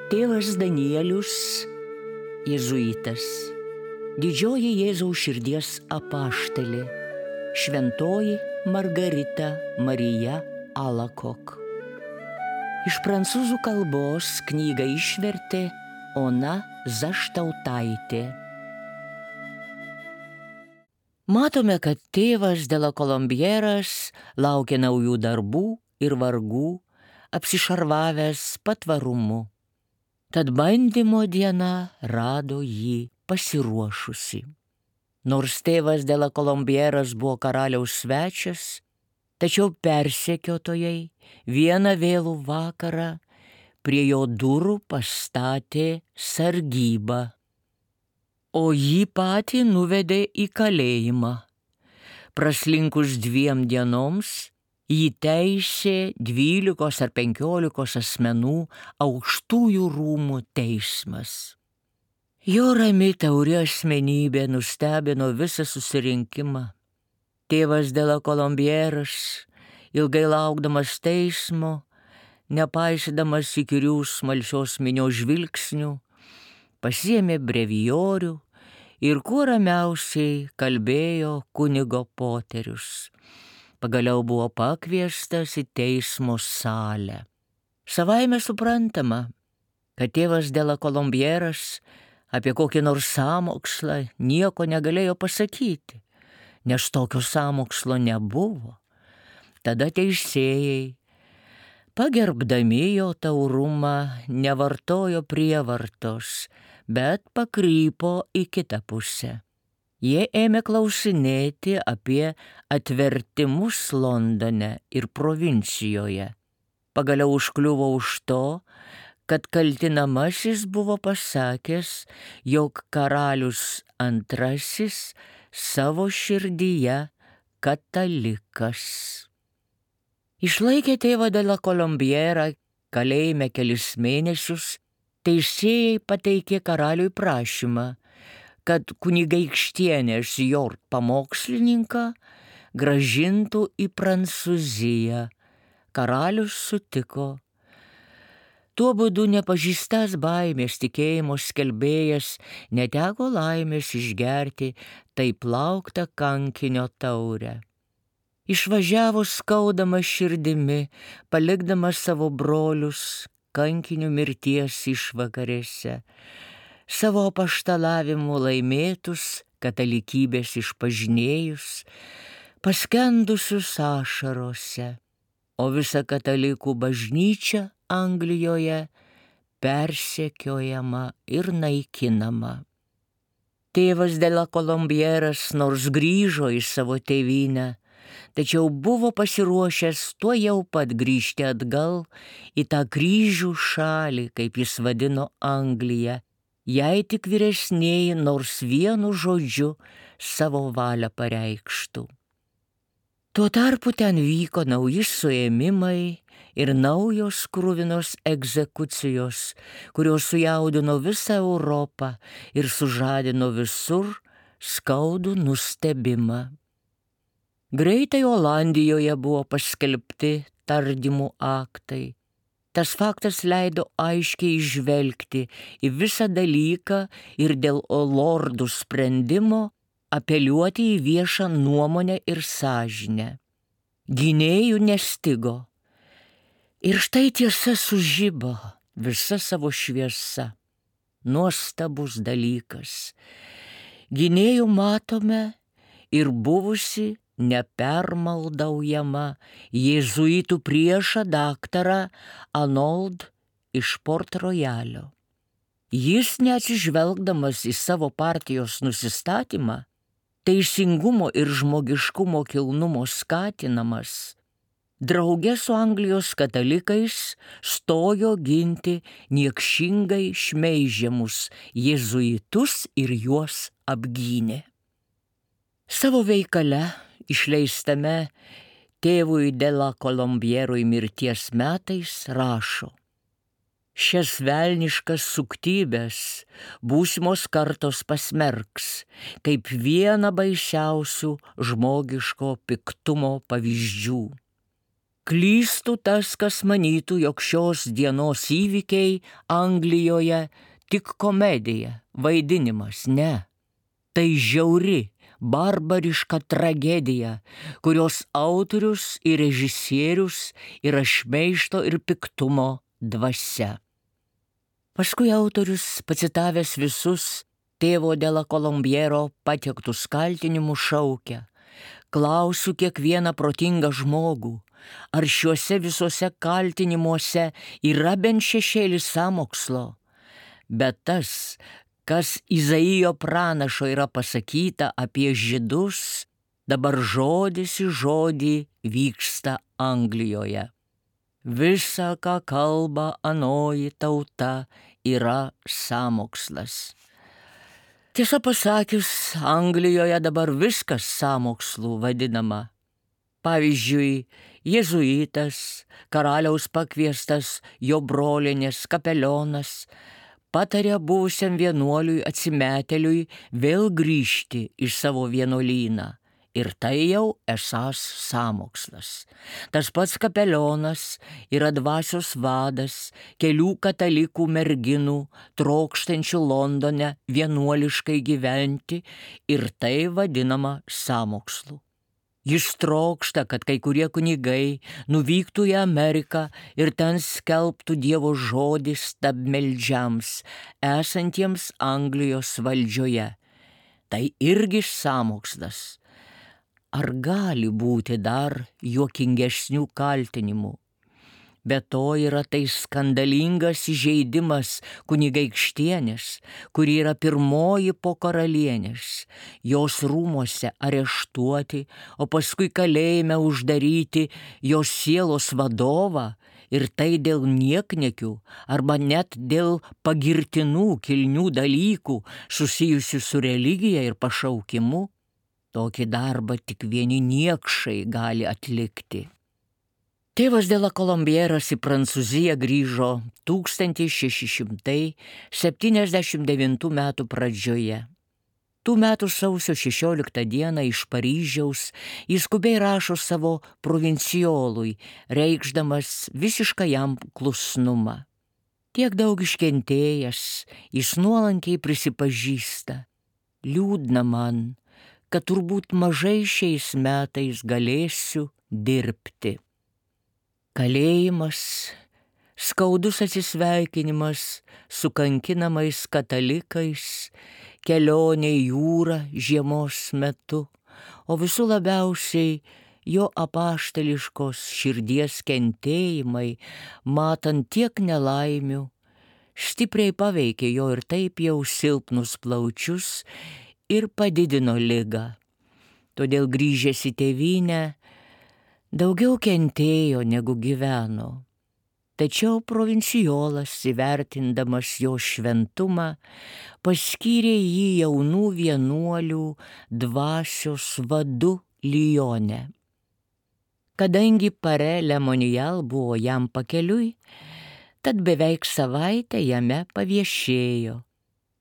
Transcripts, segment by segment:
Tėvas Danielius, jėzuitas, didžioji Jėzaus širdies apaštalė, šventoji Margarita Marija Alakok. Iš prancūzų kalbos knygą išvertė Ona Zaštautaitė. Matome, kad tėvas de la Colombieras laukia naujų darbų ir vargų, apsišarvavęs patvarumu. Tad bandymo diena rado jį pasiruošusi. Nors tėvas de la Colombieras buvo karaliaus svečias, tačiau persekiotojai vieną vėlų vakarą prie jo durų pastatė sargybą, o jį patį nuvedė į kalėjimą. Praslinkus 2 dienoms jį teisė 12 ar 15 asmenų aukštųjų rūmų teismas. Jo rami tauri asmenybė nustebino visą susirinkimą. Tėvas de la Colombieras, ilgai laukdamas teismo, nepaisydamas įkyrių smalsios minios žvilgsnių, pasiėmė brevijorių ir kuo ramiausiai kalbėjo kunigo poterius. Pagaliau buvo pakviestas į teismo salę. Savaime suprantama, kad tėvas de la Colombieras apie kokį nors sąmokslą nieko negalėjo pasakyti, nes tokio sąmokslo nebuvo. Tada teisėjai, pagerbdami jo taurumą, nevartojo prievartos, bet pakrypo į kitą pusę. Jie ėmė klausinėti apie atvertimus Londone ir provincijoje. Pagaliau užkliuvo už to, kad kaltinamasis buvo pasakęs, jog karalius II savo širdyje katalikas. Išlaikė tėvą de la Colombierą kalėjime kelis mėnesius, teisėjai pateikė karaliui prašymą, kad kunigaikštienės Jort pamokslininką grąžintų į Prancūziją. Karalius sutiko. Tuo būdu nepažįstas baimės tikėjimo skelbėjas neteko laimės išgerti taip lauktą kankinio taurę. Išvažiavo skaudama širdimi, palikdamas savo brolius kankinių mirties išvakarėse, savo apaštalavimu laimėtus katalikybės išpažinėjus, paskendusius ašarose, o visa katalikų bažnyčia Anglijoje persekiojama ir naikinama. Tėvas de la Colombieras nors grįžo į savo tėvynę, tačiau buvo pasiruošęs tuojau pat grįžti atgal į tą kryžių šalį, kaip jis vadino Angliją, jei tik vyresnieji nors vienu žodžiu savo valią pareikštų. Tuo tarpu ten vyko nauji suėmimai ir naujos kruvinos egzekucijos, kurios sujaudino visą Europą ir sužadino visur skaudų nustebimą. Greitai Olandijoje buvo paskelbti tardymų aktai. Tas faktas leido aiškiai įžvelgti į visą dalyką ir dėl lordų sprendimo apeliuoti į viešą nuomonę ir sąžinę. Gynėjų nestigo. Ir štai tiesa sužibo visa savo šviesa. Nuostabus dalykas. Gynėjų matome ir buvusi nepermaldaujama jėzuitų priešą daktarą Arnold iš Port Royalio. Jis, neatsižvelgdamas į savo partijos nusistatymą, teisingumo ir žmogiškumo kilnumo skatinamas, drauge su Anglijos katalikais stojo ginti niekšingai šmeižiamus jėzuitus ir juos apgynė. Savo veikale, išleistame tėvui de la Colombierui mirties metais, rašo: šias velniškas suktybės būsimos kartos pasmerks kaip vieną baisiausių žmogiško piktumo pavyzdžių. Klystų tas, kas manytų, jog šios dienos įvykiai Anglijoje tik komedija, vaidinimas, ne. Tai žiauri, barbariška tragedija, kurios autorius ir režisierius yra šmeižto ir piktumo dvasia. Paskui autorius, pacitavęs visus tėvo Dela Kolombiero pateiktus kaltinimus, šaukia: klausiu kiekvieną protingą žmogų, ar šiuose visuose kaltinimuose yra bent šešėlis sąmokslo. Bet tas, kas Izaijo pranašo yra pasakyta apie žydus, dabar žodis į žodį vyksta Anglijoje. Visa, ką kalba anoji tauta, yra sąmokslas. Tiesą pasakius, Anglijoje dabar viskas sąmokslų vadinama. Pavyzdžiui, jėzuitas, karaliaus pakviestas jo brolinės kapelionas, patarė buvusiam vienuoliui atsimetėliui vėl grįžti į savo vienuolyną. Ir tai jau esąs sąmokslas. Tas pats kapelionas yra dvasios vadas kelių katalikų merginų, trokštančių Londone vienuoliškai gyventi, ir tai vadinama sąmokslu. Jis trokšta, kad kai kurie kunigai nuvyktų į Ameriką ir ten skelbtų Dievo žodį stabmeldžiams, esantiems Anglijos valdžioje. Tai irgi sąmokslas. Ar gali būti dar juokingesnių kaltinimų? Be to yra tai skandalingas įžeidimas kunigaikštienės, kuri yra pirmoji po karalienės, jos rūmuose areštuoti, o paskui kalėjime uždaryti jos sielos vadovą, ir tai dėl niekniekių arba net dėl pagirtinų kilnių dalykų susijusių su religija ir pašaukimu. Tokį darbą tik vieni niekšai gali atlikti. Tėvas Dela Kolombieras į Prancūziją grįžo 1679 metų pradžioje. Tų metų sausio 16 dieną iš Paryžiaus jis skubiai rašo savo provincijolui, reikšdamas visišką jam klusnumą. Tiek daug iškentėjęs, jis nuolankiai prisipažįsta: liūdna man, kad turbūt mažai šiais metais galėsiu dirbti. Kalėjimas, skaudus atsisveikinimas su kankinamais katalikais, kelionė į jūrą žiemos metu, o visų labiausiai jo apaštališkos širdies kentėjimai, matant tiek nelaimių, stipriai paveikė jo ir taip jau silpnus plaučius ir padidino ligą. Todėl grįžęs į tėvynę daugiau kentėjo negu gyveno. Tačiau provincijolas, įvertindamas jo šventumą, paskyrė jį jaunų vienuolių dvasios vadu Lyone. Kadangi Pare Le Monreal buvo jam pakeliui, tad beveik savaitę jame paviešėjo,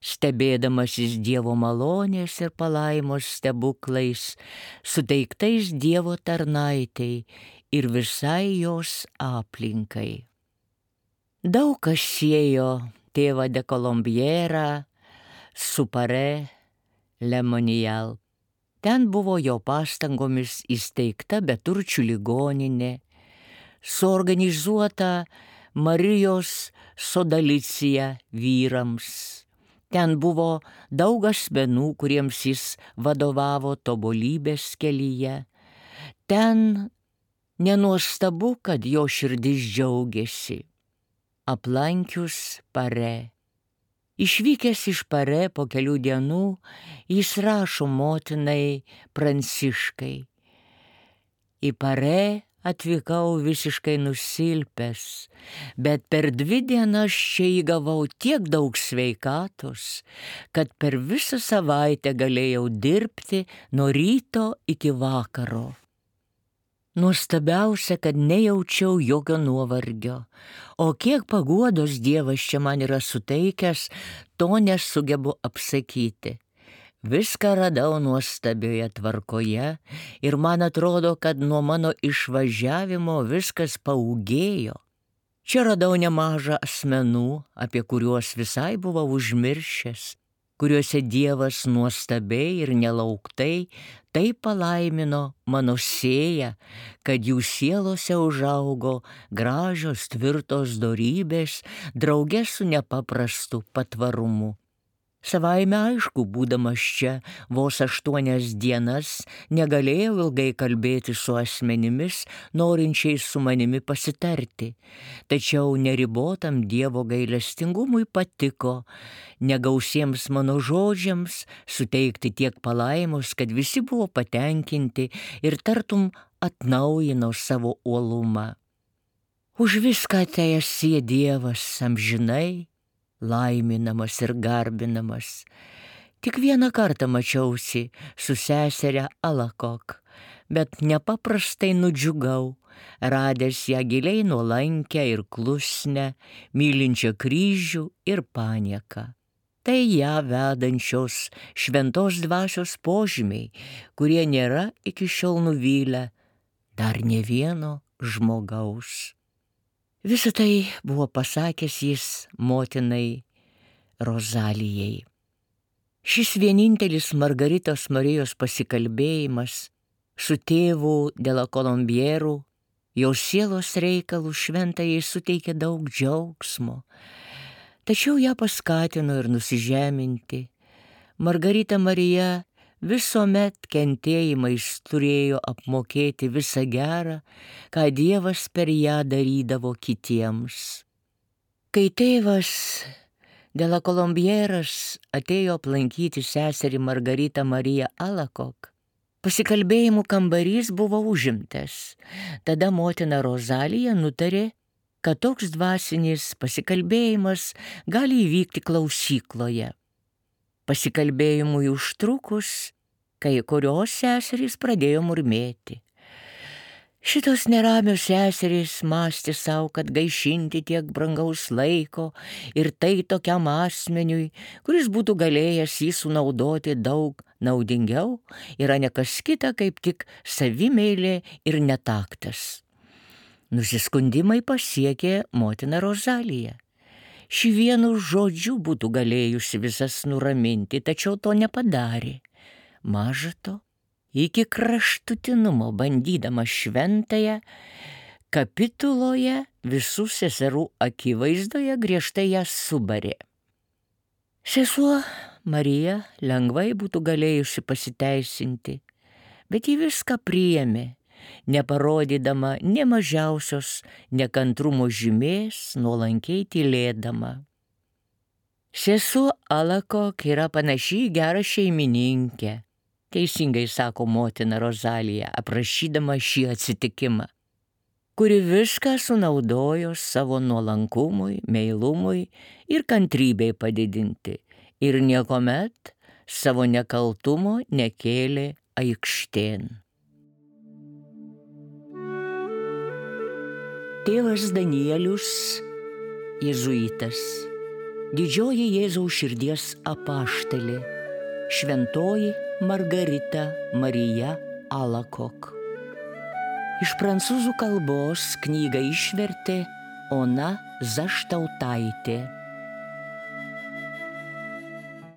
stebėdamasis Dievo malonės ir palaimos stebuklais, suteiktais Dievo tarnaitei ir visai jos aplinkai. Daug kas siejo tėvą de Kolombierą su Pare Le Monreal. Ten buvo jo pastangomis įsteigta beturčių ligoninė, suorganizuota Marijos sodalicija vyrams. Ten buvo daug asmenų, kuriems jis vadovavo tobulybės kelyje. Ten nenuostabu, kad jo širdis džiaugiasi aplankius Pare. Išvykęs iš Pare po kelių dienų, jis rašo motinai Pranciškai: į Pare atvykau visiškai nusilpęs, bet per 2 dienas čia įgavau tiek daug sveikatos, kad per visą savaitę galėjau dirbti nuo ryto iki vakaro. Nuostabiausia, kad nejaučiau jokio nuovargio, o kiek paguodos Dievas čia man yra suteikęs, to nesugebu apsakyti. Viską radau nuostabioje tvarkoje ir man atrodo, kad nuo mano išvažiavimo viskas paūgėjo. Čia radau nemažą asmenų, apie kuriuos visai buvau užmiršęs, kuriuose Dievas nuostabiai ir nelauktai taip palaimino mano sėją, kad jų sielose užaugo gražios tvirtos dorybės drauge su nepaprastu patvarumu. Savaime aišku, būdamas čia vos 8 dienas, negalėjau ilgai kalbėti su asmenimis, norinčiais su manimi pasitarti. Tačiau neribotam Dievo gailestingumui patiko negausiems mano žodžiams suteikti tiek palaimos, kad visi buvo patenkinti ir tartum atnaujino savo uolumą. Už viską teesie Dievas amžinai laiminamas ir garbinamas. Tik vieną kartą mačiausi su seseria Alakok, bet nepaprastai nudžiugau, radęs ją giliai nuolankę ir klusnę, mylinčią kryžių ir panieką. Tai ją vedančios šventos dvasios požymiai, kurie nėra iki šiol nuvylę dar ne vieno žmogaus. Visą tai buvo pasakęs jis motinai Rozalijai. Šis vienintelis Margaritos Marijos pasikalbėjimas su tėvu de la Colombière jos sielos reikalų šventajai suteikė daug džiaugsmo, tačiau ją paskatino ir nusižeminti. Margarita Marija visuomet kentėjimais turėjo apmokėti visą gerą, ką Dievas per ją darydavo kitiems. Kai tėvas de la Colombière atėjo aplankyti seserį Margaritą Mariją Alakok, pasikalbėjimų kambarys buvo užimtas. Tada motina Rozalija nutarė, kad toks dvasinis pasikalbėjimas gali įvykti klausykloje. Pasikalbėjimui užtrukus, kai kurios seserys pradėjo murmėti. Šitos neramios seserys mąstė savo, kad gaišinti tiek brangaus laiko ir tai tokiam asmeniui, kuris būtų galėjęs jį sunaudoti daug naudingiau, yra ne kas kita kaip tik savimeilė ir netaktas. Nusiskundimai pasiekė motiną Rozaliją. Ši vienu žodžiu būtų galėjusi visas nuraminti, tačiau to nepadarė. Maža to, iki kraštutinumo bandydama šventąją, kapituloje visų seserų akivaizdoje griežtai ją subarė. Sesuo Marija lengvai būtų galėjusi pasiteisinti, bet ji viską priėmė, neparodydama nė mažiausios nekantrumo žymės, nuolankiai tylėdama. Sesuo Alakok yra panaši į gerą šeimininkę, teisingai sako motina Rozalija, aprašydama šį atsitikimą, kuri viską sunaudojo savo nuolankumui, meilumui ir kantrybei padidinti ir niekuomet savo nekaltumo nekėlė aikštėn. Tėvas Danielius, jėzuitas, didžioji Jėzaus širdies apaštalė, šventoji Margarita Marija Alakok. Iš prancūzų kalbos knygą išvertė Ona Zaštautaitė.